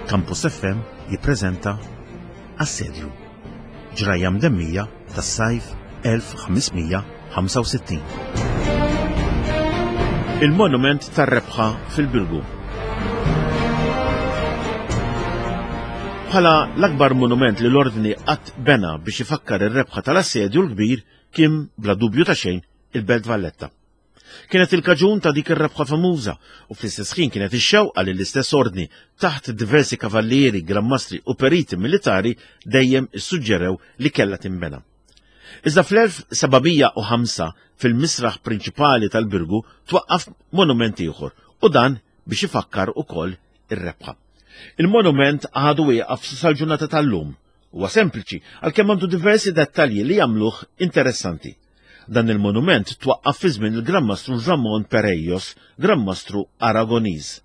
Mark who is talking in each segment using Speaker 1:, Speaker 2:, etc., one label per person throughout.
Speaker 1: Campus FM jippreżenta Assedju. Ġrajja mdemmija tas-sajf 1565. Il-Monument tar-Rebħa fil-Birgu. Bħala l-akbar monument li l-Ordni qatt bena biex ifakkar ir-rebħa tal-Assedju l-Kbir kien bla dubju ta' xejn il-Belt Valletta. Kienet il-kaġun ta' dik ir-rebħa famuża u fl-istess ħin kienet ix-xewqa li l-istess ordni taħt diversi kavallieri, grammastri u periti militari dejjem issuġġerew li kellha tinbena. Iżda fl-1705 fil-misraħ prinċipali tal-Birgu twaqqaf monument ieħor u dan biex ifakkar ukoll ir-rebħa. Il-monument għadu wieqaf sal-ġurnata tal-lum. Huwa sempliċi għalkemm għandu diversi dettalji li jagħmluh interessanti. Dan il-monument twaqqaf fi żmien il-Gran Mastru Ramon Perejos, Gran Mastru Aragoniż.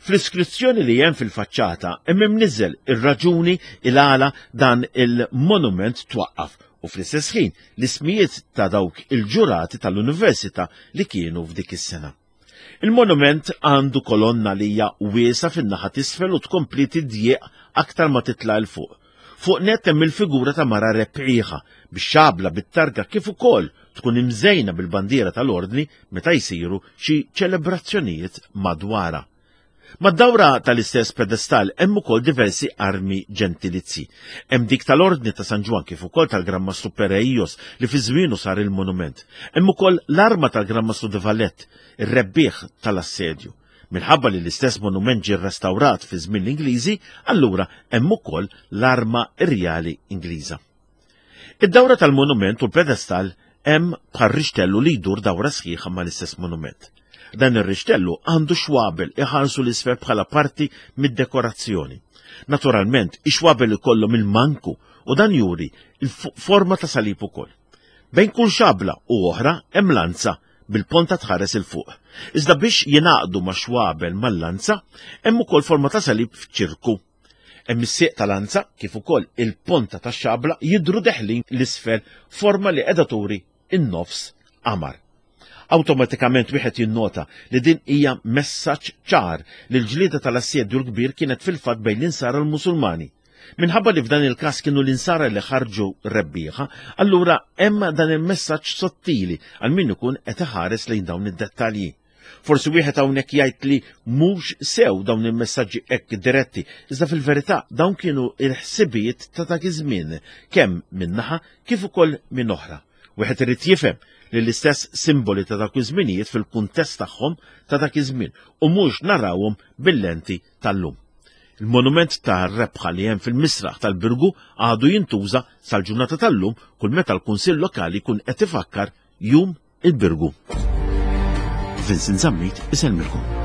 Speaker 1: Fl-iskrizzjoni li hemm fil-faċċata hemm imniżżel ir-raġuni il-għala dan il-monument twaqqaf u fl-istess ħin l-ismijiet ta' dawk il-ġurati tal-Università li kienu f'dik is-sena. Il-monument għandu kolonna li hija wiesgħa fin-naħa t'isfel u tkompli tidjieq aktar ma titla' 'l fuq. Fuq nett hemm il-figura ta' mara rebbieħa, bix-xabla bit-targa kif ukoll tkun imżejna bil-bandiera tal-Ordni meta jsiru xi ċelebrazzjonijiet madwarha. Mad-dawra tal-istess pedestall hemm ukoll diversi armi ġentilizji. Hemm dik tal-Ordni ta' San Ġwann kif ukoll tal-Gran Mastru Pereios li fi żmienu sar il-monument. Hemm ukoll l-arma tal-Gran Mastru de Valette, ir-rebbieħ tal-assedju. Minħabba li l-istess monument ġie rrestawrat fi żmien l-Ingliżi, allura hemm ukoll l-arma rjali Ingliża. Id-dawra tal-monument u l-pedestall hemm bħal rixtellu li jdur dawra sħiħa mal-istess monument. Dan ir-rixtellu għandu xwabel iħarsu l-isfel bħala parti mid-dekorazzjoni. Naturalment, ix-xwabel ikollhom il-manku u dan juri l-forma ta' salib ukoll. Bejn kull xabla u oħra hemm lanza bil-ponta tħares 'il fuq. Iżda biex jingħaqdu ma' xwabel mal-lanza, hemm ukoll forma ta' salib f'ċirku. Hemm is-sieq ta' lanza kif ukoll il-ponta tax-xabla jidhru deħlin 'l isfel forma li qiegħda turi n-nofs qamar. Awtomatikament wieħed jinnota li din hija messaġġ ċar li l-ġlieda tal-Assedju l-Kbir kienet fil-fatt bejn l-Insara u l-Musulmani. Minħabba li f'dan il-każ kienu l-Insara li ħarġu rebbieħa, allura hemm dan il-messaġġ sottili għal min ikun qed iħares lejn dawn id-dettalji. Forsi wieħed hawnhekk jgħid li mhux sew dawn il-messaġġi hekk diretti, iżda fil-verità dawn kienu l-ħsibijiet ta' dak iż-żmien, kemm minn naħa kif ukoll minn oħra. Wieħed irid jifhem li l-istess simboli ta' dawk iż-żminijiet fil-kuntest tagħhom ta' dak iż-żmien u mhux narawhom bil-lenti tal-lum. Il-monument ta' rebħa li hemm fil-misraħ tal-Birgu għadu jintuża sal-ġurnata tal-lum kull meta l-Kunsill Lokali jkun qed ifakkar Jum il-Birgu. Vincent Zammit isellmilkom.